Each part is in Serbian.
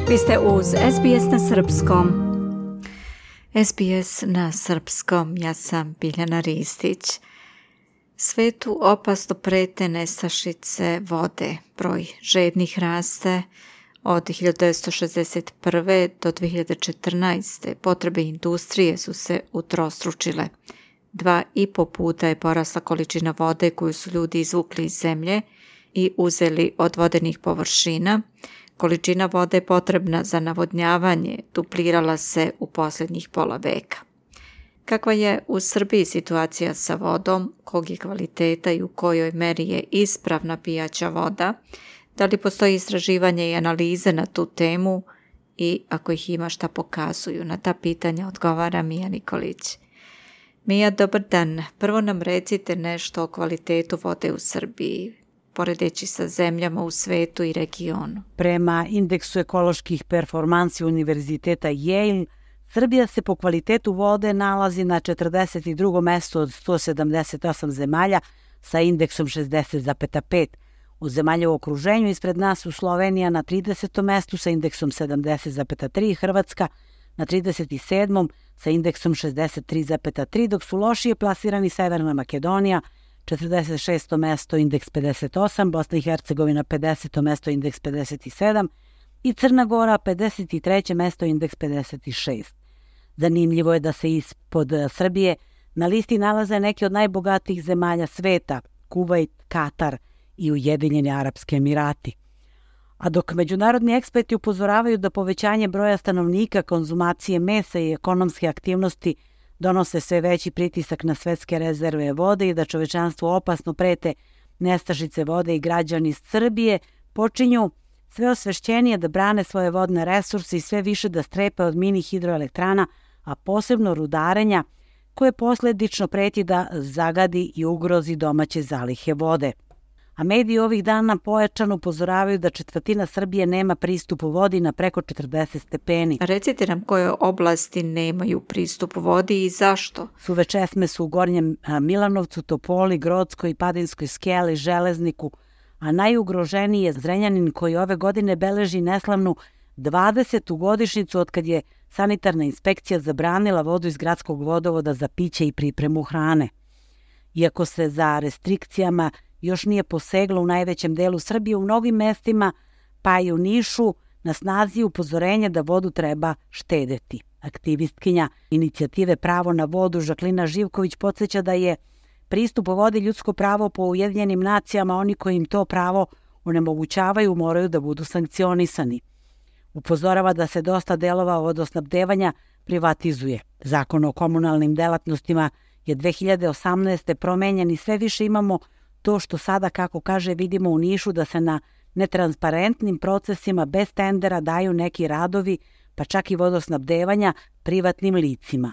Vi ste uz SBS na srpskom. SBS na srpskom, ja sam Biljana Ristić. Svetu opasno prete nestašice vode. Broj žednih raste. Od 1961. do 2014. potrebe industrije su se utrostručile. 2,5 puta je porasla količina vode koju su ljudi izvukli iz zemlje i uzeli od vodenih površina. Količina vode potrebna za navodnjavanje duplirala se u posljednjih pola veka. Kakva je u Srbiji situacija sa vodom, kog je kvaliteta i u kojoj meri je ispravna pijaća voda, da li postoji istraživanje i analize na tu temu i ako ih ima šta pokazuju? Na ta pitanja odgovara Mija Nikolić. Mija, dobar dan. Prvo nam recite nešto o kvalitetu vode u Srbiji, poredeći sa zemljama u svetu i regionu. Prema indeksu ekoloških performansi Univerziteta Yale, Srbija se po kvalitetu vode nalazi na 42. mestu od 178 zemalja sa indeksom 60,5. U zemalja u okruženju ispred nas su Slovenija na 30. mestu sa indeksom 70,3, Hrvatska na 37. sa indeksom 63,3, dok su lošije plasirani Severna Makedonija, 46. mesto, indeks 58, Bosna i Hercegovina 50. mesto, indeks 57 i Crna Gora 53. mesto, indeks 56. Zanimljivo je da se ispod Srbije na listi nalaze neke od najbogatijih zemalja sveta, Kuvajt, Katar i Ujedinjeni Arapski Emirati. A dok međunarodni eksperti upozoravaju da povećanje broja stanovnika, konzumacije mesa i ekonomske aktivnosti donose sve veći pritisak na svetske rezerve vode i da čovečanstvu opasno prete nestašice vode i građani Srbije počinju sve osvešćenije da brane svoje vodne resurse i sve više da strepe od mini hidroelektrana, a posebno rudarenja koje posledično preti da zagadi i ugrozi domaće zalihe vode. A mediji ovih dana pojačano upozoravaju da četvrtina Srbije nema pristup vodi na preko 40 stepeni. Recite nam koje oblasti nemaju pristup vodi i zašto? Suve česme su u Gornjem Milanovcu, Topoli, Grockoj, Padinskoj skeli, Železniku, a najugroženiji je Zrenjanin koji ove godine beleži neslavnu 20. godišnjicu otkad je sanitarna inspekcija zabranila vodu iz gradskog vodovoda za piće i pripremu hrane. Iako se za restrikcijama još nije poseglo u najvećem delu Srbije, u mnogim mestima, pa i u Nišu, na snazi upozorenje da vodu treba štedeti. Aktivistkinja inicijative Pravo na vodu Žaklina Živković podsjeća da je pristup vodi ljudsko pravo po Ujedinjenim nacijama, oni koji im to pravo onemogućavaju moraju da budu sankcionisani. Upozorava da se dosta delova vodosnabdevanja privatizuje. Zakon o komunalnim delatnostima je 2018. promenjen i sve više imamo to što sada, kako kaže, vidimo u Nišu da se na netransparentnim procesima bez tendera daju neki radovi, pa čak i vodosnabdevanja privatnim licima.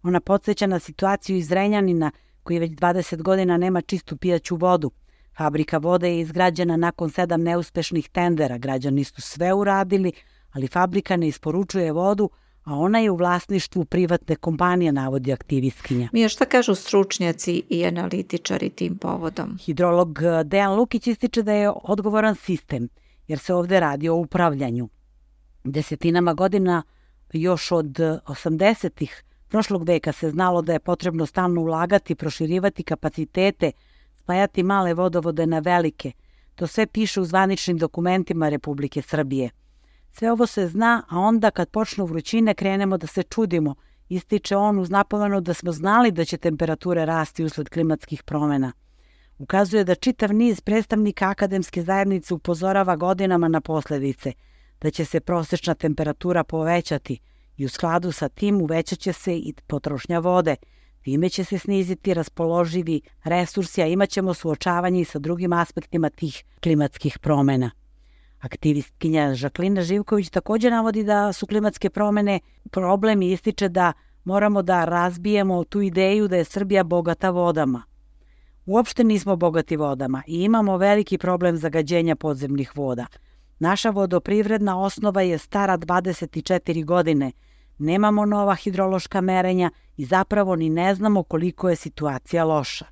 Ona podsjeća na situaciju iz Zrenjanina koji već 20 godina nema čistu pijaću vodu. Fabrika vode je izgrađena nakon 7 neuspešnih tendera. Građani su sve uradili, ali fabrika ne isporučuje vodu, a ona je u vlasništvu privatne kompanije, navodi aktivistkinja. Mija, šta kažu stručnjaci i analitičari tim povodom? Hidrolog Dejan Lukić ističe da je odgovoran sistem, jer se ovde radi o upravljanju. Desetinama godina, još od 80-ih prošlog veka se znalo da je potrebno stalno ulagati, proširivati kapacitete, spajati male vodovode na velike. To sve piše u zvaničnim dokumentima Republike Srbije. Sve ovo se zna, a onda kad počnu vrućine krenemo da se čudimo, ističe on uz napomenu da smo znali da će temperature rasti usled klimatskih promjena. Ukazuje da čitav niz predstavnika akademske zajednice upozorava godinama na posljedice, da će se prosječna temperatura povećati i u skladu sa tim uvećat će se i potrošnja vode. Time će se sniziti raspoloživi resursi, a imat ćemo suočavanje i sa drugim aspektima tih klimatskih promjena. Aktivistkinja Žaklina Živković također navodi da su klimatske promjene problem i ističe da moramo da razbijemo tu ideju da je Srbija bogata vodama. Uopšte nismo bogati vodama i imamo veliki problem zagađenja podzemnih voda. Naša vodoprivredna osnova je stara 24 godine. Nemamo nova hidrološka merenja i zapravo ni ne znamo koliko je situacija loša.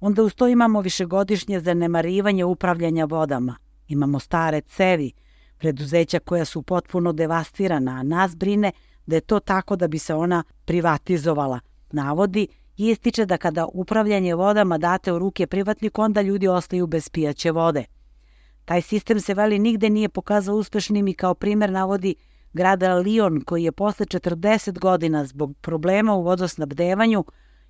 Onda uz to imamo višegodišnje zanemarivanje upravljanja vodama. Imamo stare cevi, preduzeća koja su potpuno devastirana, a nas brine da je to tako da bi se ona privatizovala, navodi i ističe da kada upravljanje vodama date u ruke privatniku, onda ljudi ostaju bez pijaće vode. Taj sistem se veli nigde nije pokazao uspešnim i kao primer navodi grada Lyon koji je posle 40 godina zbog problema u vodosnabdevanju,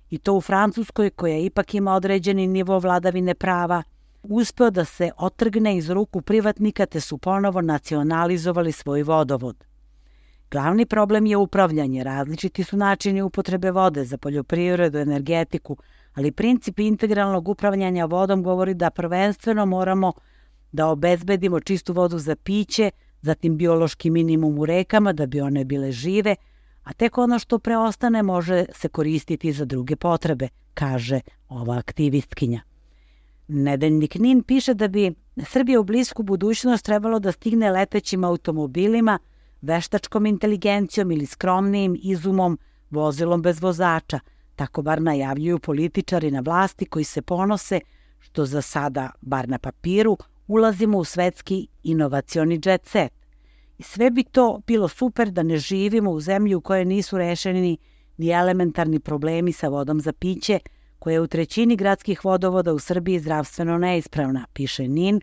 i to u Francuskoj koja ipak ima određeni nivo vladavine prava, uspeo da se otrgne iz ruku privatnika te su ponovo nacionalizovali svoj vodovod. Glavni problem je upravljanje, različiti su načini upotrebe vode za poljoprivredu, energetiku, ali princip integralnog upravljanja vodom govori da prvenstveno moramo da obezbedimo čistu vodu za piće, zatim biološki minimum u rekama da bi one bile žive, a tek ono što preostane može se koristiti za druge potrebe, kaže ova aktivistkinja. Nedeljnik NIN piše da bi Srbija u blisku budućnost trebalo da stigne letećim automobilima, veštačkom inteligencijom ili skromnijim izumom, vozilom bez vozača. Tako bar najavljuju političari na vlasti koji se ponose što za sada, bar na papiru, ulazimo u svetski inovacioni jet set. I sve bi to bilo super da ne živimo u zemlji u kojoj nisu rešeni ni elementarni problemi sa vodom za piće, koja je u trećini gradskih vodovoda u Srbiji zdravstveno neispravna, piše NIN,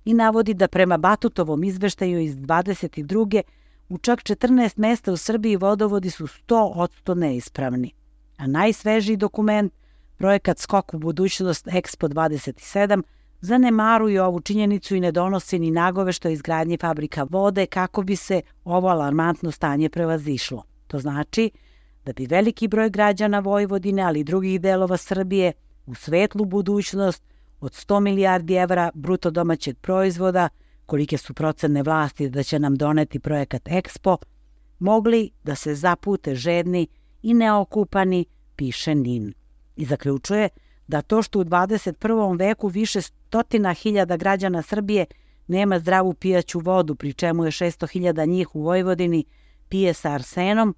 i navodi da prema Batutovom izveštaju iz 22. u čak 14 mesta u Srbiji vodovodi su 100% neispravni. A najsvežiji dokument, projekat Skok u budućnost Expo 27, zanemaruje ovu činjenicu i ne donosi ni nagovešto izgradnje fabrika vode kako bi se ovo alarmantno stanje prevazišlo. To znači da bi veliki broj građana Vojvodine, ali i drugih delova Srbije, u svetlu budućnost od 100 milijardi evra bruto domaćeg proizvoda, kolike su procene vlasti da će nam doneti projekat Expo, mogli da se zapute žedni i neokupani, piše NIN. I zaključuje da to što u 21. veku više 100.000 građana Srbije nema zdravu pijaću vodu, pri čemu je 600.000 njih u Vojvodini pije sa arsenom,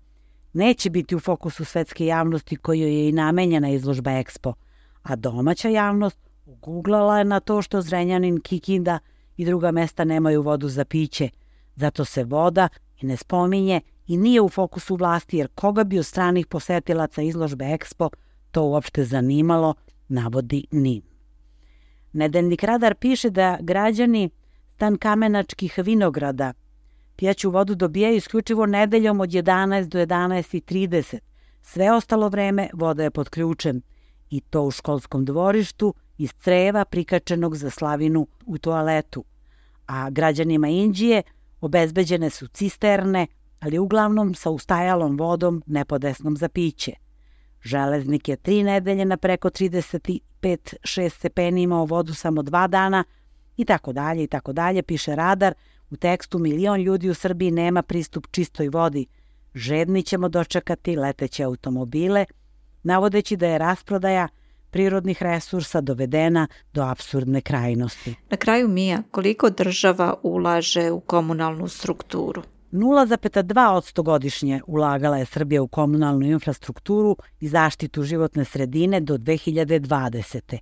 neće biti u fokusu svetske javnosti kojoj je i namenjena izložba Expo, a domaća javnost uguglala je na to što Zrenjanin, Kikinda i druga mesta nemaju vodu za piće. Zato se voda i ne spominje i nije u fokusu vlasti, jer koga bi od stranih posetilaca izložbe Expo to uopšte zanimalo, navodi NIN. Nedeljnik Radar piše da građani Stankamenačkih vinograda pijaću vodu dobijaju isključivo nedeljom od 11 do 11:30. Sve ostalo vreme voda je pod ključem i to u školskom dvorištu iz creva prikačenog za slavinu u toaletu. A građanima Inđije obezbeđene su cisterne, ali uglavnom sa ustajalom vodom nepodesnom za piće. Železnik je 3 nedelje na preko 35-6 stepeni imao vodu samo 2 dana i tako dalje, piše Radar. U tekstu 1 milion ljudi u Srbiji nema pristup čistoj vodi. Žedni ćemo dočekati leteće automobile, navodeći da je rasprodaja prirodnih resursa dovedena do apsurdne krajnosti. Na kraju, Mija, koliko država ulaže u komunalnu strukturu? 0,2% godišnje ulagala je Srbija u komunalnu infrastrukturu i zaštitu životne sredine do 2020.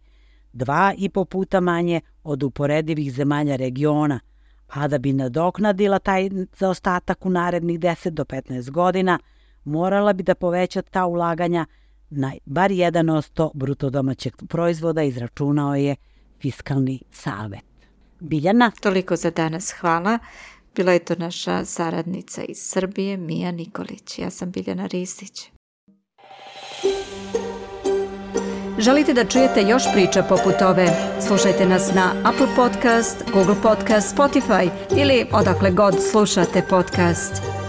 2,5 puta manje od uporedivih zemalja regiona, a da bi nadoknadila taj zaostatak u narednih 10 do 15 godina, morala bi da poveća ta ulaganja na bar 1% bruto domaćeg proizvoda, izračunao je Fiskalni savet. Biljana? Toliko za danas, hvala. Bila je to naša saradnica iz Srbije, Mija Nikolić. Ja sam Biljana Ristić. Želite da čujete još priča poput ove? Slušajte nas na Apple Podcast, Google Podcast, Spotify ili odakle god slušate podcast.